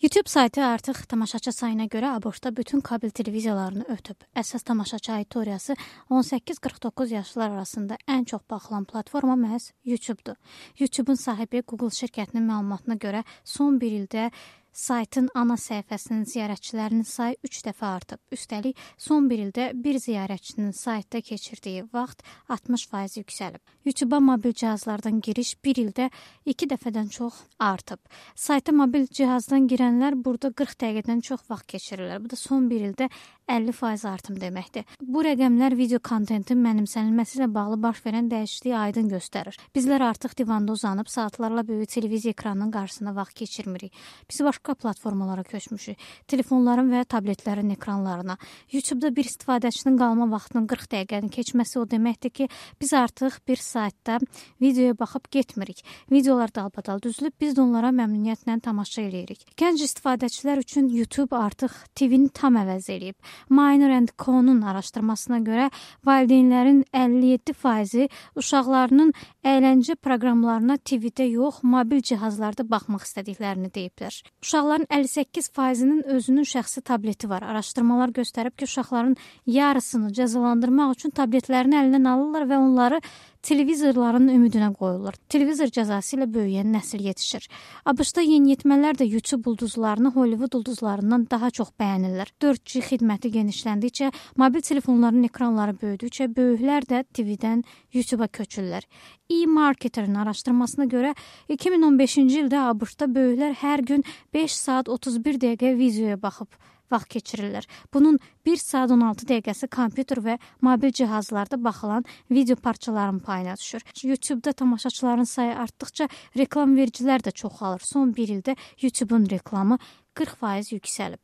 YouTube saytı artıq tamaşaçı sayına görə ABŞ-da bütün kabel televiziyalarını ötüb. Əsas tamaşaçı auditoriyası 18-49 yaşlılar arasında ən çox baxılan platforma məhz YouTube-dur. YouTube-un sahibi Google şirkətinin məlumatına görə son bir ildə saytın ana səhifəsinin ziyarətçilərinin sayı 3 dəfə artıb. Üstəlik, son bir ildə bir ziyarətçinin saytda keçirdiyi vaxt 60% yüksəlib. YouTube-a mobil cihazlardan giriş bir ildə 2 dəfədən çox artıb. Sayta mobil cihazdan girənlər burada 40 dəqiqədən çox vaxt keçirirlər. Bu da son bir ildə 50% artım deməkdir. Bu rəqəmlər video kontentin mənimsənilməsi ilə bağlı baş verən dəyişikliyi aydın göstərir. Bizlər artıq divanda uzanıb saatlarla böyük televiziya ekranının qarşısında vaxt keçirmirik. Biz başqa platformalara köçmüşük. Telefonların və tabletlərin ekranlarına. YouTube-da bir istifadəçinin qalma vaxtının 40 dəqiqəni keçməsi o deməkdir ki, biz artıq bir saytda videoya baxıb getmirik. Videolar dalbadal düzülüb, biz də onlara məmnuniyyətlə tamaşa edirik. Gənc istifadəçilər üçün YouTube artıq TV-ni tam əvəz edib. Minor & Co-nun araşdırmasına görə valideynlərin 57%-i uşaqlarının əyləncə proqramlarına TV-də yox, mobil cihazlarda baxmaq istədiklərini deyiblər. Uşaqların 58%-nin özünün şəxsi tableti var. Araşdırmalar göstərib ki, uşaqların yarısını cəzalandırmaq üçün tabletlərini əlindən alırlar və onları televizorların ümidinə qoyurlar. Televizor cəzası ilə böyüyən nəsil yetişir. ABŞ-da yeniyetmələr də YouTube ulduzlarını Hollywood ulduzlarından daha çox bəyənirlər. 4G xidməti genişləndikcə, mobil telefonların ekranları böyüdükcə, böyüklər də TV-dən YouTube-a köçürlər. E-Marketer'ın araşdırmasına görə 2015-ci ildə ABŞ-da böyüklər hər gün 5 saat 31 dəqiqə videoya baxıb vaxt keçirirlər. Bunun 1 saat 16 dəqiqəsi kompüter və mobil cihazlarda baxılan video parçaların payına düşür. YouTube-da tamaşaçıların sayı artdıqca reklam vericilər də çoxalır. Son bir ildə YouTube-un reklamı 40% yüksəlib.